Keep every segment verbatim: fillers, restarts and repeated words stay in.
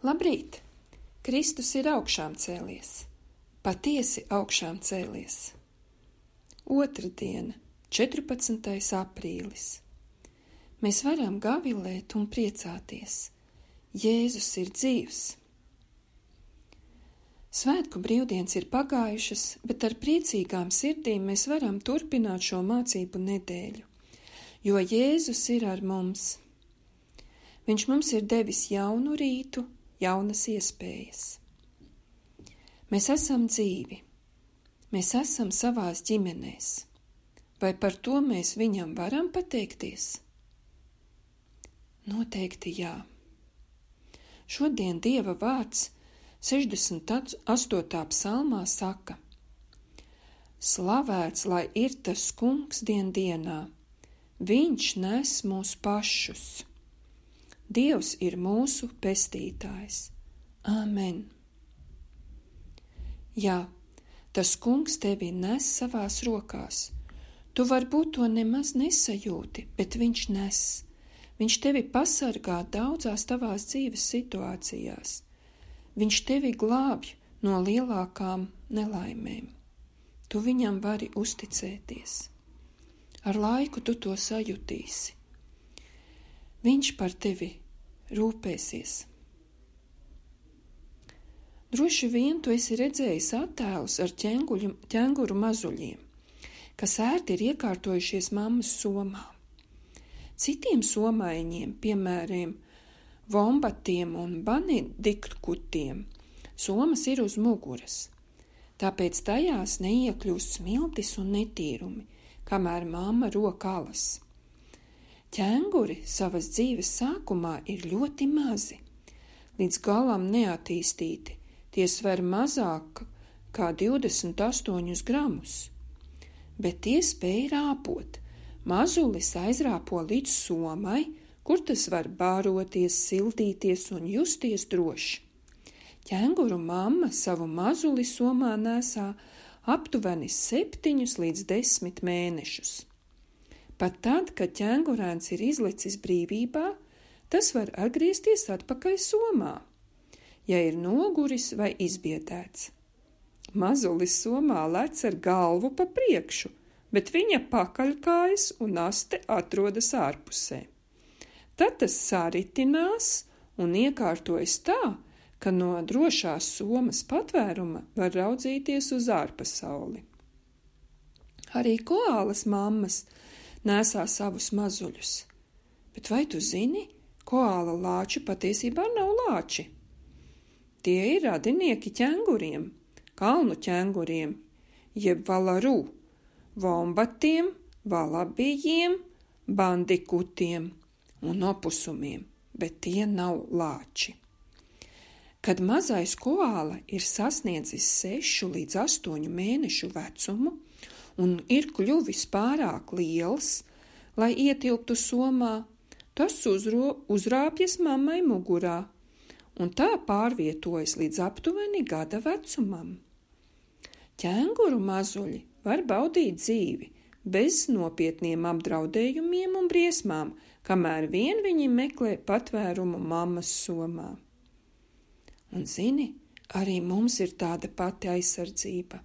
Labrīt! Kristus ir augšām cēlies, patiesi augšām cēlies. Otra diena, četrpadsmitais aprīlis. Mēs varam gavilēt un priecāties. Jēzus ir dzīvs. Svētku brīvdienas ir pagājušas, bet ar priecīgām sirdīm mēs varam turpināt šo mācību nedēļu, jo Jēzus ir ar mums. Viņš mums ir devis jaunu rītu, jaunas iespējas. Mēs esam dzīvi, mēs esam savās ģimenēs. Vai par to mēs viņam varam pateikties? Noteikti jā. Šodien Dieva vārds sešdesmit astotā psalmā saka: Slavēts, lai ir tas kungs dien dienā, viņš nes mūs pašus. Dievs ir mūsu pestītājs. Āmen. Jā, tas kungs tevi nes savās rokās. Tu varbūt to nemaz nesajūti, bet viņš nes. Viņš tevi pasargā daudzās tavās dzīves situācijās. Viņš tevi glābj no lielākām nelaimēm. Tu viņam vari uzticēties. Ar laiku tu to sajutīsi. Viņš par tevi rūpēsies. Droši vien tu esi redzējis attēlus ar ķenguļu, ķenguru mazuļiem, kas ērti ir iekārtojušies mammas somā. Citiem somaiņiem, piemēram, vombatiem un banediktutiem, somas ir uz muguras, tāpēc tajās neiekļūst smiltis un netīrumi, kamēr mamma rok alas. Ķenguri savas dzīves sākumā ir ļoti mazi, līdz galam neattīstīti, tie sver mazāk kā divdesmit astoņus gramus, bet tie spēj rāpot. Mazulis aizrāpo līdz somai, kur tas var bāroties, sildīties un justies droši. Ķenguru mamma savu mazuli somā nesā aptuveni septiņus līdz desmit mēnešus. Pat tad, kad ķengurēns ir izlicis brīvībā, tas var atgriezties atpakaļ somā, ja ir noguris vai izbiedēts. Mazulis somā lec ar galvu pa priekšu, bet viņa pakaļkājas un aste atrodas ārpusē. Tad tas saritinās un iekārtojas tā, ka no drošās somas patvēruma var raudzīties uz ārpasauli. Arī koālas mammas nesā savus mazuļus, bet vai tu zini, koāla lāči patiesībā nav lāči? Tie ir radinieki ķenguriem, kalnu ķenguriem, jeb valaru, vombatiem, valabijiem, bandikutiem un opusumiem, bet tie nav lāči. Kad mazais koāla ir sasniedzis sešu līdz astoņu mēnešu vecumu un ir kļuvis pārāk liels, lai ietilptu somā, tas uzro, uzrāpjas mammai mugurā un tā pārvietojas līdz aptuveni gada vecumam. Ķenguru mazuļi var baudīt dzīvi bez nopietniem apdraudējumiem un briesmām, kamēr vien viņi meklē patvērumu mammas somā. Un zini, arī mums ir tāda pati aizsardzība.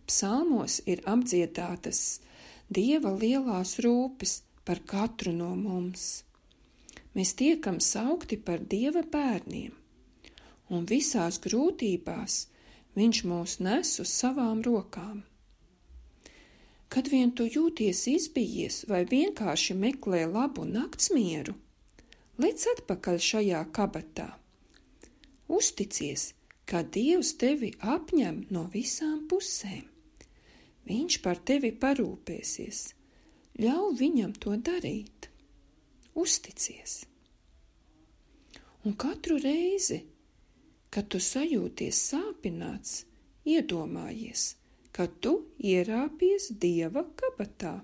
Psalmos ir apdziedātas Dieva lielās rūpes par katru no mums. Mēs tiekam saukti par Dieva bērniem, un visās grūtībās Viņš mūs nes uz savām rokām. Kad vien tu jūties izbijies vai vienkārši meklē labu naktsmieru, lec atpakaļ šajā kabatā. Uzticies, ka Dievs tevi apņem no visām pusēm. Viņš par tevi parūpēsies. Ļauj viņam to darīt. Uzticies. Un katru reizi, kad tu sajūties sāpināts, iedomājies, ka tu ierāpies Dieva kabatā,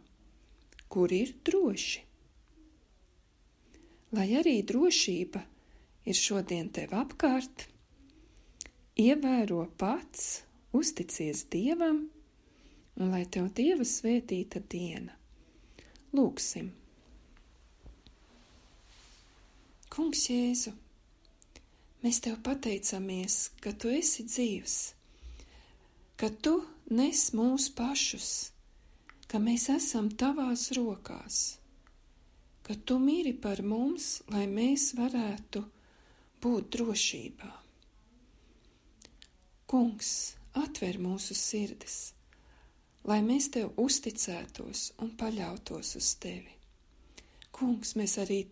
kur ir droši. Lai arī drošība ir šodien tev apkārt, ievēro pats, uzticies Dievam, un lai tev Dieva svētīta diena. Lūgsim. Kungs Jēzu, Mēs tev pateicamies, ka tu esi dzīvs, ka tu nes mūs pašus, ka mēs esam tavās rokās, ka tu miri par mums, lai mēs varētu būt drošībā. Kungs, atver mūsu sirdis, lai mēs tev uzticētos un paļautos uz tevi. Kungs, mēs arī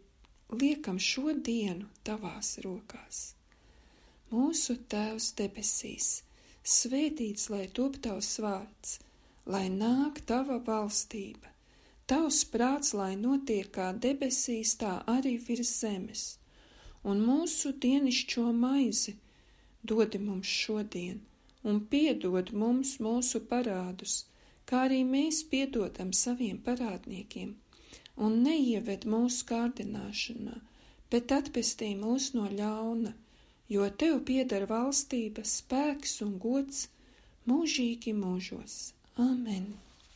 liekam šo dienu tavās rokās. Mūsu Tēvs debesīs, svētīts lai top tavs vārds, lai nāk tava valstība, tavs prāts, lai notiek kā debesīs, tā arī virs zemes, un mūsu dienišķo maizi dodi mums šodien, un piedod mums mūsu parādus, kā arī mēs piedodam saviem parādniekiem, un neieved mūsu kārdināšanā, bet atpestī mūs no ļauna, jo tev pieder valstība, spēks un gods mūžīgi mūžos. Amen.